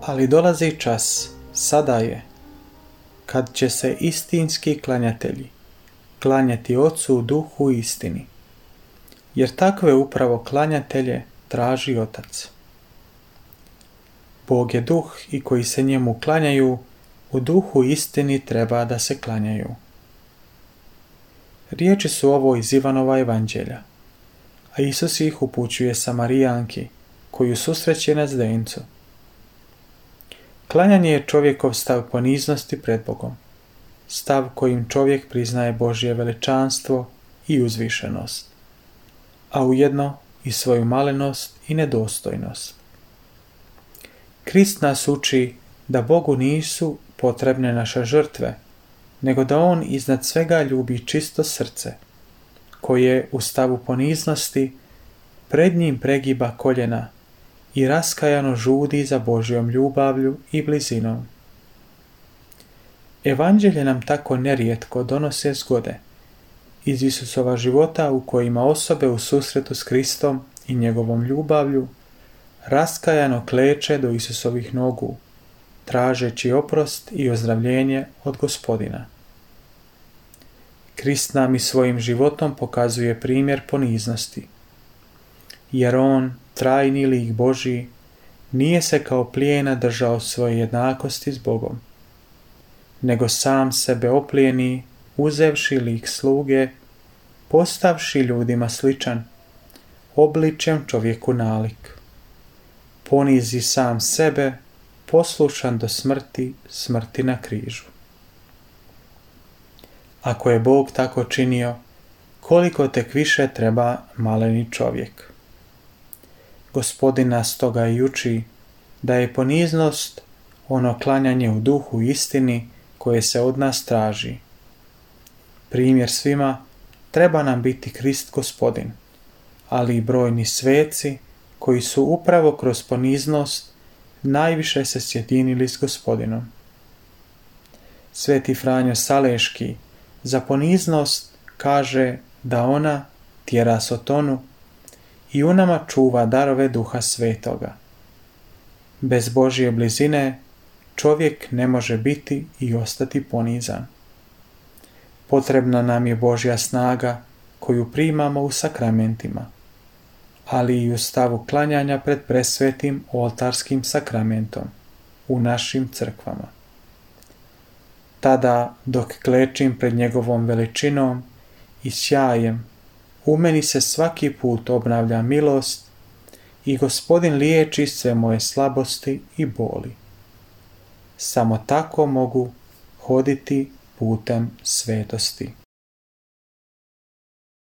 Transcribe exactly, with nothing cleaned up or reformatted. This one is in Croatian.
Ali dolazi čas, sada je, kad će se istinski klanjatelji klanjati Ocu u duhu i istini, jer takve upravo klanjatelje traži Otac. Bog je duh i koji se njemu klanjaju, u duhu i istini treba da se klanjaju. Riječi su ovo iz Ivanova evanđelja, a Isus ih upućuje Samarijanki, koju susreće na zdencu. Klanjanje je čovjekov stav poniznosti pred Bogom, stav kojim čovjek priznaje Božje veličanstvo i uzvišenost, a ujedno i svoju malenost i nedostojnost. Krist nas uči da Bogu nisu potrebne naše žrtve, nego da On iznad svega ljubi čisto srce, koje u stavu poniznosti pred njim pregiba koljena i raskajano žudi za Božjom ljubavlju i blizinom. Evanđelje nam tako nerijetko donose zgode iz Isusova života u kojima osobe u susretu s Kristom i njegovom ljubavlju raskajano kleče do Isusovih nogu, tražeći oprost i ozdravljenje od Gospodina. Krist nam i svojim životom pokazuje primjer poniznosti, jer On, trajni lik Božji, nije se kao plijena držao svoje jednakosti s Bogom, nego sam sebe oplijeni, uzevši lik sluge, postavši ljudima sličan, obličjem čovjeku nalik. Ponizi sam sebe, poslušan do smrti, smrti na križu. Ako je Bog tako činio, koliko tek više treba maleni čovjek. Gospodin nas toga i uči da je poniznost ono klanjanje u duhu istini koje se od nas traži. Primjer svima treba nam biti Krist Gospodin, ali i brojni sveci koji su upravo kroz poniznost najviše se sjedinili s Gospodinom. Sveti Franjo Saleški za poniznost kaže da ona tjera sotonu i u nama čuva darove Duha Svetoga. Bez Božje blizine čovjek ne može biti i ostati ponizan. Potrebna nam je Božja snaga koju primamo u sakramentima, ali i u stavu klanjanja pred presvetim oltarskim sakramentom u našim crkvama. Tada, dok klečim pred njegovom veličinom i sjajem, u meni se svaki put obnavlja milost i Gospodin liječi sve moje slabosti i boli. Samo tako mogu hoditi putem svetosti.